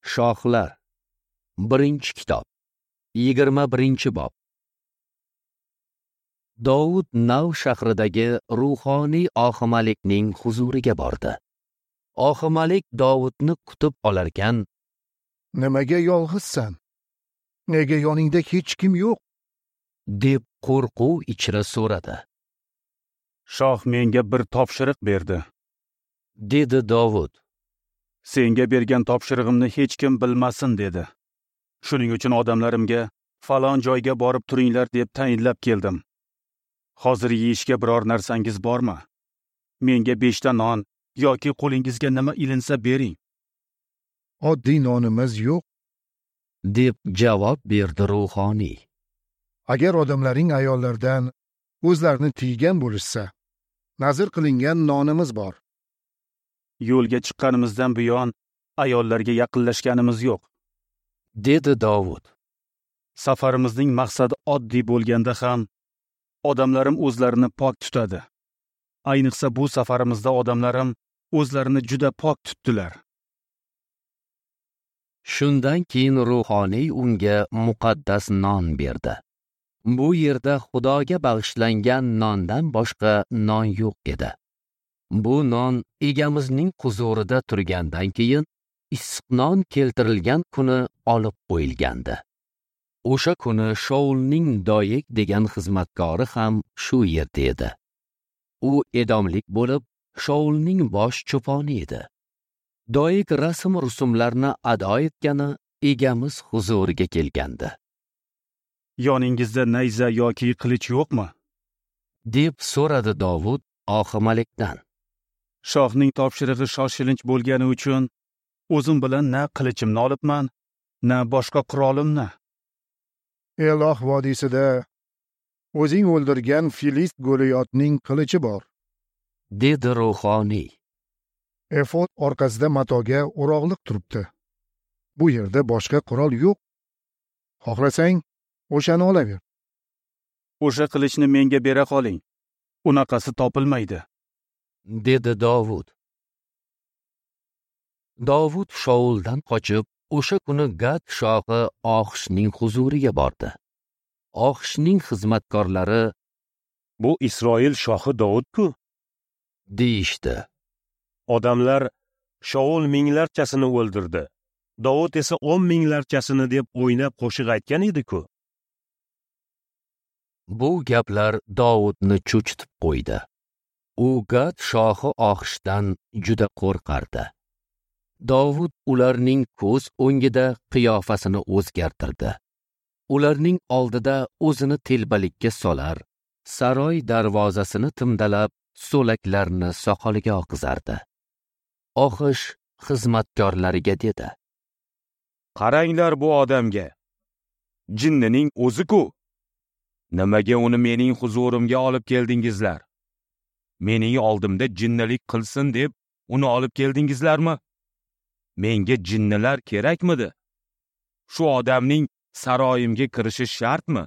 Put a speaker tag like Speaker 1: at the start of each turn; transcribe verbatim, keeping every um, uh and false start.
Speaker 1: Shohlar. Birinchi kitob. Yigirma birinchi bob. Dovud Nav shahridagi ruhoniy Oximalikning huzuriga bordi. Oximalik Dovudni kutib olarkan,
Speaker 2: "Nimaga yolg'izsan? Nega yoningda hech kim yo'q?"
Speaker 1: deb qo'rquv ichra so'radi.
Speaker 3: "Shoh menga bir topshiriq berdi,"
Speaker 1: dedi Dovud.
Speaker 3: "Senga bergan topshirig'imni hech kim bilmasin" dedi. "Shuning uchun odamlarimga falon joyga borib turinglar deb tayinlab keldim. Hozir yeyishga biror narsangiz bormi? Menga beshta non yoki qo'lingizga nima ilinsa bering."
Speaker 2: "Oddiy nonimiz yo'q,"
Speaker 1: deb javob berdi ruhoniy.
Speaker 2: "Agar odamlaring ayollardan o'zlarini tiygan bo'lishsa, nazr qilingan nonimiz bor."
Speaker 3: "Yo'lga chiqqanimizdan buyon ayollarga yaqinlashganimiz yo'q,"
Speaker 1: dedi Dovud.
Speaker 3: "Safarimizning maqsadi oddiy bo'lganda ham odamlarim o'zlarini pok tutadi. Ayniqsa bu safarimizda odamlarim o'zlarini juda pok tutdilar."
Speaker 1: Shundan keyin ruhoniy unga muqaddas non berdi. Bu yerda Xudoga bag'ishlangan nondan boshqa non yo'q edi. Bu non egamizning huzurida turgandan keyin issiq non keltirilgan kuni olib qo'yilgandi. O'sha kuni Shaulning Doyek degan xizmatkori ham shu yerda edi. U edomlik bo'lib, Shaulning bosh cho'poni edi. Doyek rasm-rusumlarni ado etgani egamiz huzuriga kelgandi.
Speaker 3: "Yoningizda nayza yoki qilich yo'qmi?"
Speaker 1: deb so'radi Dovud Oximalikdan.
Speaker 3: "Shohning topshirig'i shoshilinch bo'lgani uchun o'zim bilan na qilichimni olibman, na boshqa qurolimni."
Speaker 2: "Eloh vodiysida o'zing o'ldirgan Filist Goliyotning qilichi bor,"
Speaker 1: dedi ruhoniy.
Speaker 2: "Efod orqasida matoga o'rog'liq turibdi. Bu yerda boshqa qurol yo'q. Xohlasang, o'shani olaver."
Speaker 3: "O'sha qilichni menga bera qoling. Unaqasi topilmaydi,"
Speaker 1: dedi Dovud. Dovud Shauldan qochib, o'sha kuni Gad shohi Oxishning huzuriga bordi. Oxishning xizmatkorlari,
Speaker 4: "Bu Isroil shohi Dovud-ku?"
Speaker 1: deyishdi.
Speaker 4: Odamlar Shaul minglarchasini o'ldirdi, Dovud esa o'n minglarchasini deb o'ynab qo'shiq aytgan edi-ku.
Speaker 1: Bu gaplar Dovudni cho'chitib qo'ydi. U Gad shohi Oxishdan juda qo'rqardi. Dovud ularning ko'z o'ngida qiyofasini o'zgartirdi. Ularning oldida o'zini telbalikka solar, saroy darvozasini timdalab, so'laklarni soqoliga oqizardi. Oxish xizmatkorlariga dedi:
Speaker 4: "Qaranglar bu odamga. Jinnining o'zi-ku. Nimaga uni mening huzurimga olib keldingizlar? Mening oldimda jinnilik qilsin deb uni olib keldingizlarmi? Menga jinnilar kerakmidi? Shu odamning saroyimga kirishi shartmi?"